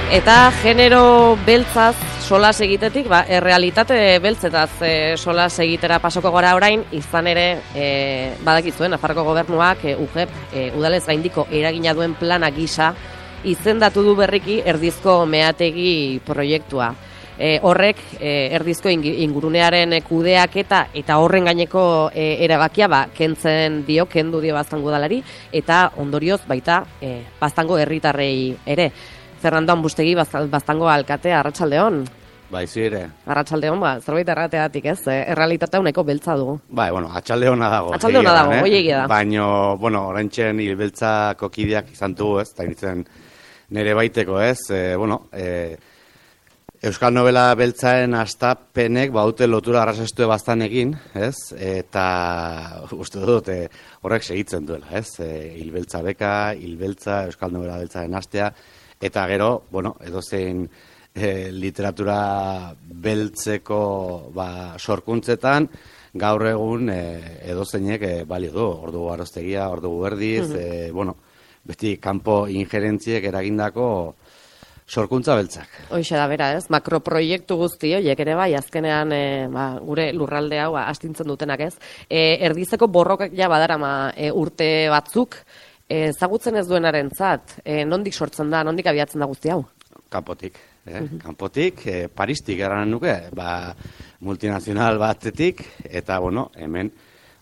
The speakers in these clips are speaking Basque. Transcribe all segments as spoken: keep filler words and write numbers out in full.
Eta genero beltzaz solas egitetik, ba, errealitate beltzetaz e, solas egitera pasoko gora orain, izan ere, e, badakizuen, Nafarroko gobernuak e, U G E P, e, udalez gaindiko eragina duen plana gisa, izendatu du berriki erdizko meategi proiektua. E, horrek, e, erdizko ingurunearen kudeaketa eta horren gaineko e, erabakia, ba, kentzen dio, kendu dio Baztango udalari, eta ondorioz baita e, Baztango herritarrei ere. Fernando Ambustegi, Baztango alkate, arratsaldeon. Bai, zire. Arratsaldeon, ba, zerbait errateatik, ez? Eh? Errealitatea uneko beltza dugu. Bai, bueno, atxaldeona dago. Atxaldeona dago, eh? hoi egia da. Baina, bueno, oraintzen hilbeltzako kideak izan dugu, ez? Eta nintzen nire baiteko, ez? E, bueno, e, Euskal Novela beltzaen astapenek baute lotura arrazestu baztanekin, ez? Eta uste dut, e, horrek segitzen duela, ez? E, hilbeltza beka, hilbeltza, Euskal Novela beltzaen astea, eta gero, bueno, edozein e, literatura beltzeko ba, sorkuntzetan, gaur egun e, edozeinek e, balio du, ordu aroztegia, ordu berdiz, mm -hmm. e, bueno, beti kanpo ingerentziek eragindako sorkuntza beltzak. Hoxe da bera, ez? Makroproiektu guzti horiek ere bai, azkenean e, ba, gure lurralde hau astintzen dutenak, ez? E, erdizeko borrokak ja badarama e, urte batzuk, ezagutzen ez duenarentzat, e, nondik sortzen da, nondik abiatzen da guzti hau? Kanpotik, eh? Mm-hmm. Kanpotik, e, Paristik eranen nuke, ba, multinazional batetik, eta, bueno, hemen,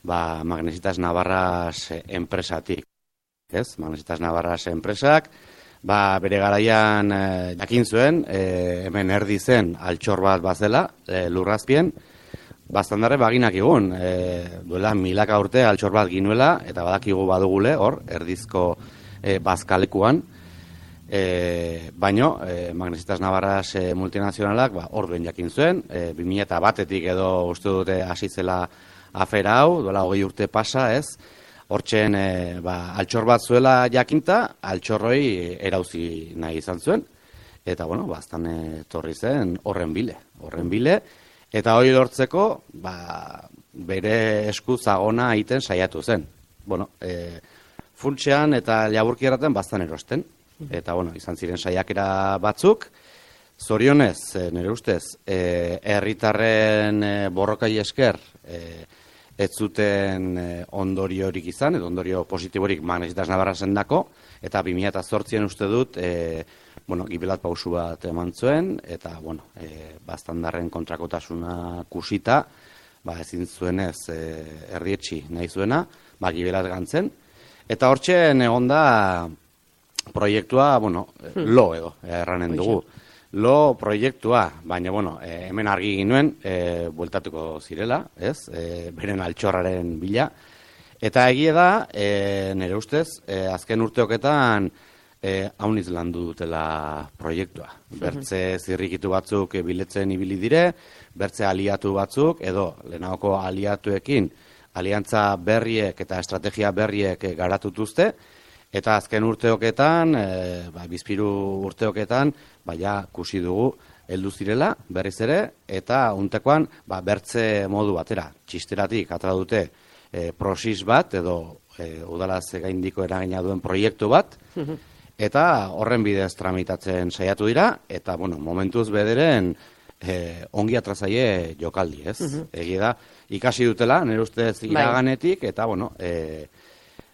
ba, Magnesitas Navarras enpresatik, ez? Magnesitas Navarras enpresak, ba, bere garaian e, jakin zuen, e, hemen erdi zen altxor bat bazela, e, lurrazpien, Baztandarre baginak egun, e, duela milaka urte altxor bat ginuela, eta badakigu badugule, hor, erdizko e, bazkalekuan, e, baino, e, Magnesitas Navarras e, multinazionalak, ba, hor duen jakin zuen, e, bi mila batetik edo uste dute hasi zela afera hau, duela hogei urte pasa, ez, hortzen e, ba, altxor bat zuela jakinta, altxorroi erauzi nahi izan zuen, eta, bueno, baztan e, torri zen horren bile, horren bile, eta hori lortzeko, ba, bere esku zagona egiten saiatu zen. Bueno, e, funtsean eta laburki erraten baztan erosten. Eta, bueno, izan ziren saiakera batzuk. Zorionez, e, nire ustez, e, herritarren e, borrokai esker, e, ez zuten e, ondoriorik izan, edo ondorio positiborik Magnesitas Navarrasen dako, eta bi mila zortzian uste dut, e, bueno, gibelat pausu bat eman zuen, eta, bueno, e, Baztandarren kontrakotasuna kusita, ba, ezin zuenez e, erdietxi nahi zuena, ba, gibelat gantzen, eta hortzen egon da proiektua, bueno, lo edo, erranen dugu. Lo proiektua, baina, bueno, e, hemen argi ginuen, e, bueltatuko zirela, ez, e, beren altxorraren bila, eta egie da, e, nire ustez, e, azken urteoketan, E, hauniz landu dutela proiektua. Bertze zirrikitu batzuk biletzen ibili dire, bertze aliatu batzuk, edo lehenagoko aliatuekin aliantza berriek eta estrategia berriek garatutuzte, eta azken urteoketan, e, ba, bizpiru urteoketan, baina kusi dugu heldu zirela, berriz ere, eta untekoan ba, bertze modu batera, txisteratik atra dute e, prosis bat, edo e, udalaz gaindiko eragina duen proiektu bat, eta horren bidez tramitatzen saiatu dira, eta, bueno, momentuz bederen eh, ongi atrazaie jokaldi, ez? Uh -huh. Egi da, ikasi dutela, nire ustez iraganetik, eta, bueno, eh,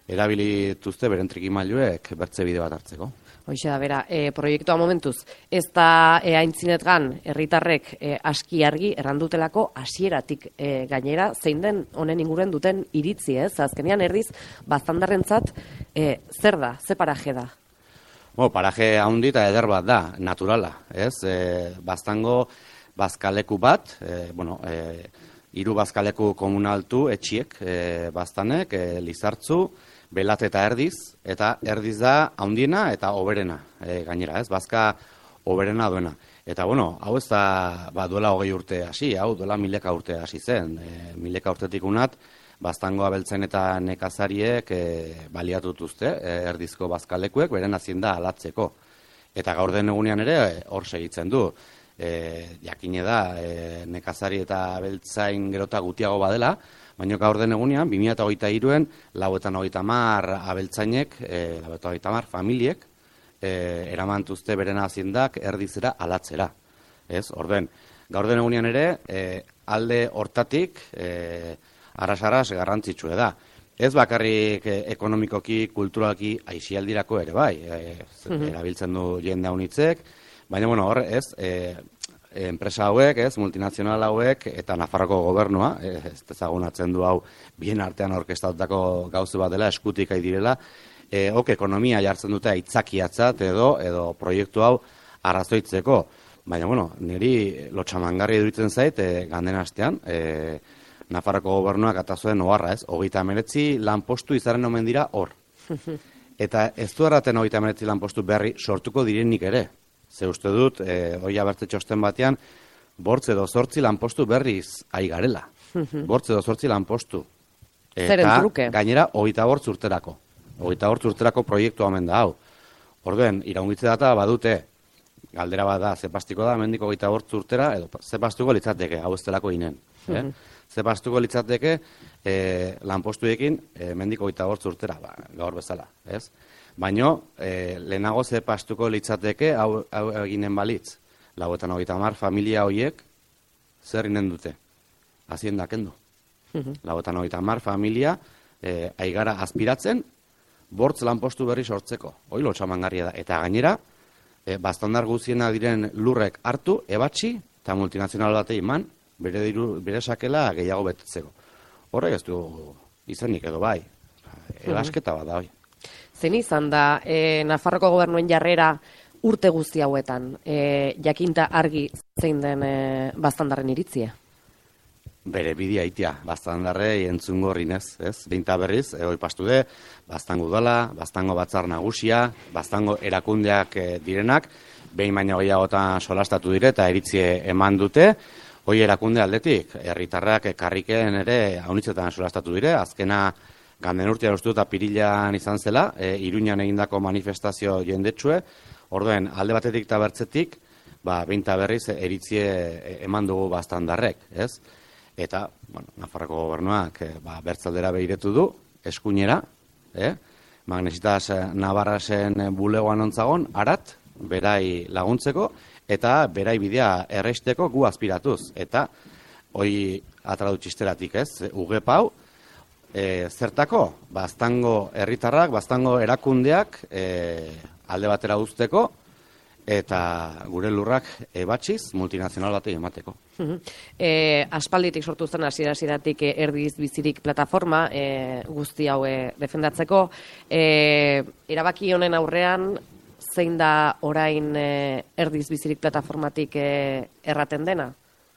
erabilituzte beren trikimailuek bertze bide bat hartzeko. Hoxe da, bera, e, proiektua momentuz, ez da e, aintzinetgan herritarrek e, aski argi errandutelako hasieratik e, gainera, zein den honen inguren duten iritzi, ez? Azkenean erdiz, Baztandarrentzat e, zer da, ze paraje da? Bo, paraje haundi eta eder bat da, naturala, ez? E, Baztango bazkaleku bat, e, bueno, e, hiru bazkaleku komunaltu etxiek, e, Baztanek, e, Lizartzu, Belat eta Erdiz, eta Erdiz da haundiena eta oberena, e, gainera, ez? Bazka oberena duena. Eta, bueno, hau ez da, ba, duela hogei urte hasi, hau duela mileka urte hasi zen, e, mileka urtetik unat, Baztango abeltzen eta nekazariek e, baliatutuzte, e, erdizko bazkalekuek, beren hazienda alatzeko. Eta gaur den egunean ere hor segitzen du. E, jakine da, e, nekazari eta abeltzain gerota gutiago badela, baina gaur den egunean, bi mila hogeita hiruen, lau eta hogeita hamar abeltzainek, e, lau eta hogeita hamar familiek, e, eramantuzte beren aziendak erdizera alatzera. Ez, orden, gaur den egunean ere, e, alde hortatik, e, arras-arras garrantzitsue da. Ez bakarrik e, ekonomikoki, kulturalki, aisialdirako ere bai, e, mm-hmm. erabiltzen du jende haunitzek, baina, bueno, hor, ez, e, enpresa hauek, ez, multinazional hauek, eta Nafarroko gobernua, ez ezagunatzen du hau, bien artean orkestatutako gauze bat dela, eskutik ai direla, e, ok, ekonomia jartzen dute aitzakiatzat edo, edo proiektu hau arrazoitzeko. Baina, bueno, niri lotxamangarri iruditzen zait, e, ganden astean, e, Nafarroko gobernuak atazuen oharra, ez, hogeita hemeretzi lanpostu izaren omen dira hor. Eta ez du erraten hogeita hemeretzi lanpostu berri sortuko direnik ere. Ze uste dut, e, oia bertze txosten batean, bortze edo zortzi lanpostu berriz ai garela. Bortze edo zortzi lanpostu. Eta gainera, hogeita bortz urterako. Hogeita bortz urterako proiektu hamen da hau. Orduen, iraungitze data badute, galdera bat da, zepastiko da, mendiko hogeita bortz urtera, edo zepastuko litzateke, hau ez delako inen. Eh? Zepastuko litzateke, e, lanpostuekin, e, mendiko hogeita bortz urtera, ba, gaur bezala, ez? Baina, e, lehenago zepastuko litzateke, hau, hau eginen balitz, lauetan hogeita hamar familia horiek, zer inen dute? Hazienda kendu. Lauetan hogeita hamar familia, e, aigara aspiratzen, bortz lanpostu berri sortzeko. Hoi lotxamangarria da. Eta gainera, e, bastandar guziena diren lurrek hartu, ebatxi, eta multinazional batei eman, bere, diru, bere sakela gehiago betetzeko. Horrek ez du izenik edo bai. Elasketa bat da, bai. Zen izan da, e, Nafarroko gobernuen jarrera urte guzti hauetan, e, jakinta argi zein den e, bastandarren iritzia? Bere bidea itia, bastandarre entzungo rinez, ez? Beinta berriz, egoi pastu de, bastango udala, bastango batzar nagusia, bastango erakundeak e, direnak, behin baino gehiagotan solastatu dire eta iritzie eman dute, hoi erakunde aldetik, herritarrak karriken ere haunitzetan solastatu dire, azkena ganden urtean uste dut apirilan izan zela, e, Iruñan egindako manifestazio jendetsue, orduen alde batetik eta bertzetik, ba, beinta berriz eritzie eman dugu bastandarrek, ez? Eta, bueno, Nafarroko gobernuak e, ba, bertzaldera behiretu du, eskuinera, eh? Magnesitas Navarrasen bulegoan ontzagon, arat, berai laguntzeko, eta berai bidea erreisteko gu aspiratuz. Eta, hoi atradu txisteratik, ez? Ugepau, e, zertako, bastango herritarrak, bastango erakundeak e, alde batera uzteko, eta gure lurrak ebatxiz multinazional batei emateko. E, aspalditik sortu zen hasiera-hasieratik e, erdiz bizirik plataforma e, guzti hau e, defendatzeko. E, erabaki honen aurrean, zein da orain e, erdiz bizirik plataformatik e, erraten dena?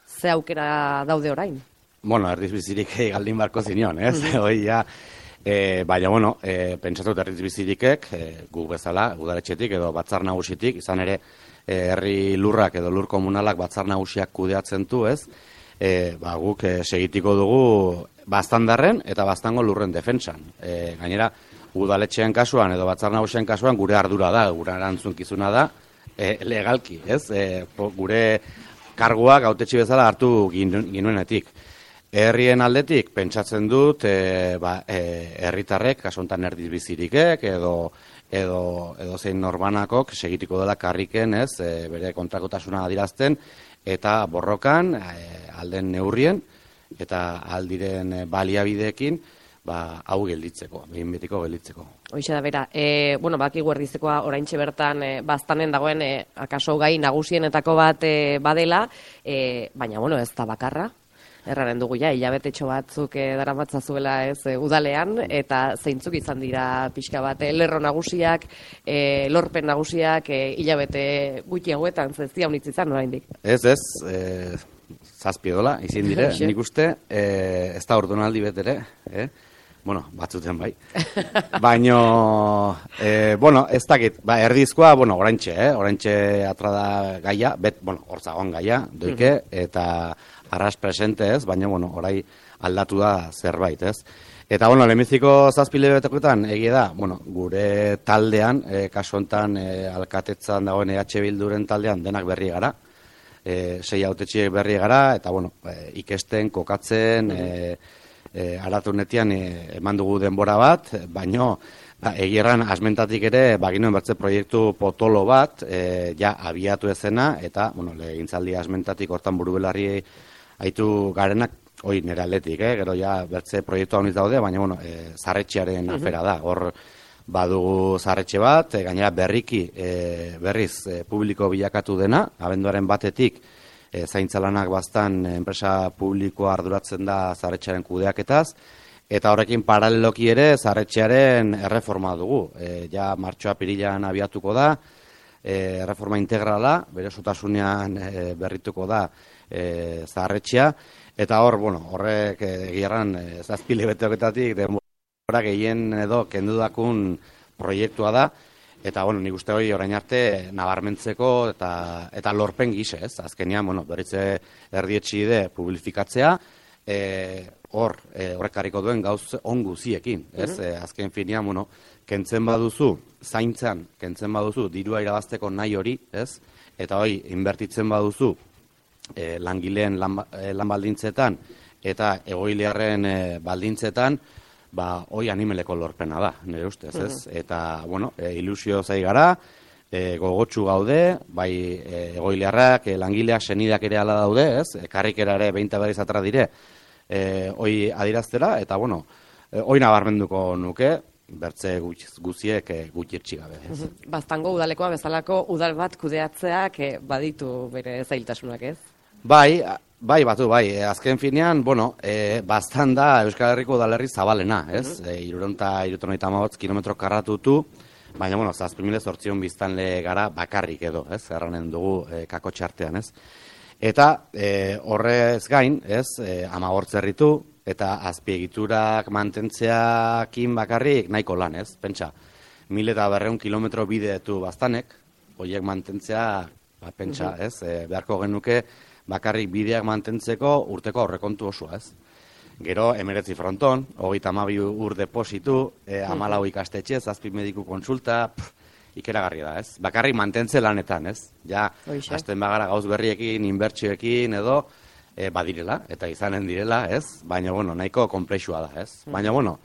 Ze aukera daude orain? Bueno, erdiz bizirik e, galdin barko zinion, ez? Mm-hmm. Hoi, ja, e, baina, bueno, e, pentsatut erdiz bizirikek, e, gu bezala, udaletxetik edo batzar nagusitik, izan ere, e, herri lurrak edo lur komunalak batzar nagusiak kudeatzen du, ez? E, ba, guk e, segitiko dugu bastandarren eta bastango lurren defentsan. E, gainera, udaletxeen kasuan edo batzar nagusien kasuan gure ardura da, gure erantzunkizuna da, e, legalki, ez? E, po, gure karguak hautetsi bezala hartu ginuenetik. Herrien aldetik, pentsatzen dut, e, ba, e, herritarrek, kasu honetan erdiz bizirikek, edo, edo, edo zein norbanakok, segitiko dela karriken, ez, e, bere kontrakotasuna adirazten, eta borrokan, e, alden neurrien, eta aldiren baliabideekin, ba, hau gelditzeko, behin betiko gelditzeko. Hoixe da, bera, e, bueno, baki guerdizekoa oraintxe bertan e, baztanen dagoen, e, akaso gai nagusienetako bat e, badela, e, baina, bueno, ez da bakarra. Erraren dugu ja, hilabetetxo batzuk e, daramatzazuela ez e, udalean, eta zeintzuk izan dira pixka bat, e, lerro nagusiak, e, lorpen nagusiak, e, hilabete gutxi hauetan, zeztia honitz izan, oraindik. Ez, ez, e, zazpi dola, izin dire, nik uste, e, ez da ordonaldi betere, eh? Bueno, batzuten bai. Baino, e, bueno, ez dakit, ba, erdizkoa, bueno, oraintxe, eh? Oraintxe atrada gaia, bet, bueno, hortzagoan gaia, doike, eta arras presente ez, baina, bueno, orai aldatu da zerbait, ez. Eta, bueno, lehenbiziko zazpile betekoetan, egia da, bueno, gure taldean, e, kasu honetan, e, alkatetzan dagoen E H Bilduren taldean, denak berri gara, e, sei hautetxiek berri gara, eta, bueno, e, ikesten, kokatzen, e, e, aratunetean e, eman dugu denbora bat, baino ba, egierran asmentatik ere baginoen bertze proiektu potolo bat e, ja abiatu ezena, eta bueno, legintzaldi asmentatik hortan burubelarri aitu garenak, hoi nire aldetik, eh? Gero ja bertze proiektu hau daude, baina bueno, e, zarretxearen afera da, hor badugu zarretxe bat, e, gainera berriki e, berriz e, publiko bilakatu dena, abenduaren batetik e, zaintzalanak bastan enpresa publikoa arduratzen da zarretxearen kudeaketaz, eta horrekin paraleloki ere zarretxearen erreforma dugu. E, ja martxoa pirilan abiatuko da, e, erreforma integrala, bere sotasunean e, berrituko da e, zarretxea, eta hor, bueno, horrek egierran e, zazpile beteoketatik denbora gehien edo kendudakun proiektua da, eta bueno, nik uste hori orain arte nabarmentzeko eta eta lorpen gise, ez? Azkenean, bueno, berritze erdietxide publifikatzea, e, hor, e, horrekariko duen gauz on guziekin, ez? Mm-hmm. E, azken finean, bueno, kentzen baduzu, zaintzan, kentzen baduzu, dirua irabazteko nahi hori, ez? Eta hori, inbertitzen baduzu, E, langileen lan, e, lan baldintzetan eta egoiliarren e, baldintzetan, ba, hoi animeleko lorpena da, nire ustez, ez? Uh-huh. Eta, bueno, e, ilusio zai gara, e, gogotsu gaude, bai e, egoiliarrak, e, langileak, senideak ere ala daude, ez? E, karrikera ere behinta berriz atra dire, e, hoi adiraztera, eta, bueno, e, hoi nabarmenduko nuke, bertze guziek e, gutxirtxi gabe. Ez? Baztango udalekoa bezalako udal bat kudeatzeak e, baditu bere zailtasunak, ez? Bai, bai, batu, bai. Azken finean, bueno, e, bastan da Euskal Herriko udalerri zabalena, ez? Uh-huh. E, iruronta, irutonita amabotz kilometro karratutu, baina, bueno, zazpimile zortzion biztanle gara bakarrik edo, ez? Erranen dugu e, kako txartean, ez? Eta e, horrez gain, ez? E, amagortz herritu, eta azpiegiturak mantentzeakin bakarrik nahiko lan, ez? Pentsa, mil eta berreun kilometro bideetu bastanek, horiek mantentzea, ba, pentsa, uh-huh. ez? E, beharko genuke, bakarrik bideak mantentzeko urteko aurrekontu osoa, ez? Gero, emeretzi fronton, hogeita hamabi ur depositu, e, amalau ikastetxe, zazpi mediku kontsulta, pff, ikeragarri da, ez? Bakarrik mantentze lanetan, ez? Ja, hasten bagara gauz berriekin, inbertsioekin edo, e, badirela, eta izanen direla, ez? Baina, bueno, nahiko konplexua da, ez? Baina, bueno,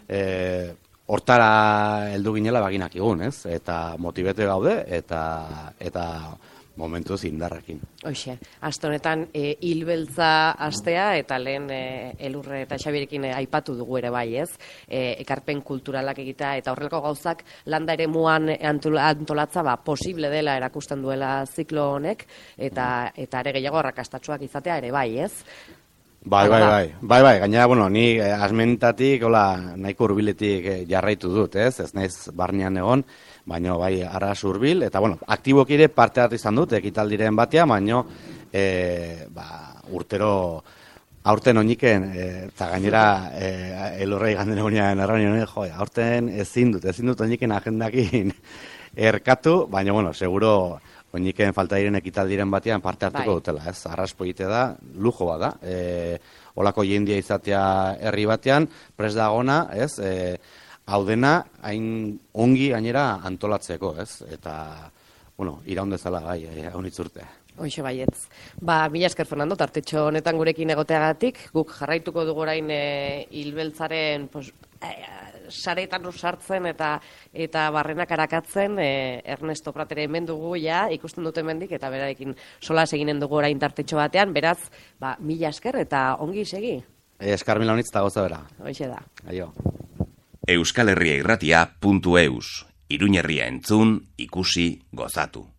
e, hortara heldu ginela baginak egun, ez? Eta motibete gaude, eta... eta momentuz indarrekin. Hoxe, aste honetan e, hilbeltza astea eta lehen e, Elurre eta Xabirekin e, aipatu dugu ere bai, ez? E, ekarpen kulturalak egitea eta horrelako gauzak landa ere muan antolatza ba, posible dela erakusten duela ziklo honek eta eta ere gehiago arrakastatsuak izatea ere bai, ez? Bai, bai, bai, bai, bai, gainera, bueno, ni eh, asmentatik, hola, nahiko hurbiletik eh, jarraitu dut, ez? Ez naiz barnean egon, baina bai arras hurbil, eta bueno, aktibok ere parte hartu izan dut, ekitaldiren batea, baina e, ba, urtero aurten oiniken, eta e, gainera e, elurrei ganden egunean erraunien, jo, aurten ezin dut, ezin dut oiniken agendakin erkatu, baina bueno, seguro oiniken falta diren ekitaldiren batean parte hartuko bai. Dutela, ez? Arras polite da, lujo bada, e, olako jendia izatea herri batean, pres dagona, ez? E, hau dena, hain ongi gainera antolatzeko, ez? Eta, bueno, iraundezala gai, hau nitzurte. Hoxe baietz. Ba, mila esker, Fernando, tartetxo honetan gurekin egoteagatik, guk jarraituko dugu orain e, hilbeltzaren pos, e, saretan sartzen eta eta barrenak arakatzen, e, Ernesto Pratere hemen dugu, ja, ikusten dute hemendik eta berarekin solas eginen dugu orain tartetxo batean, beraz, ba, mila esker eta ongi segi. E, eskar mila honitz eta goza bera. Hoxe da. Aio. Euskal Herria Irratia puntu eus. Iruñerria entzun, ikusi, gozatu.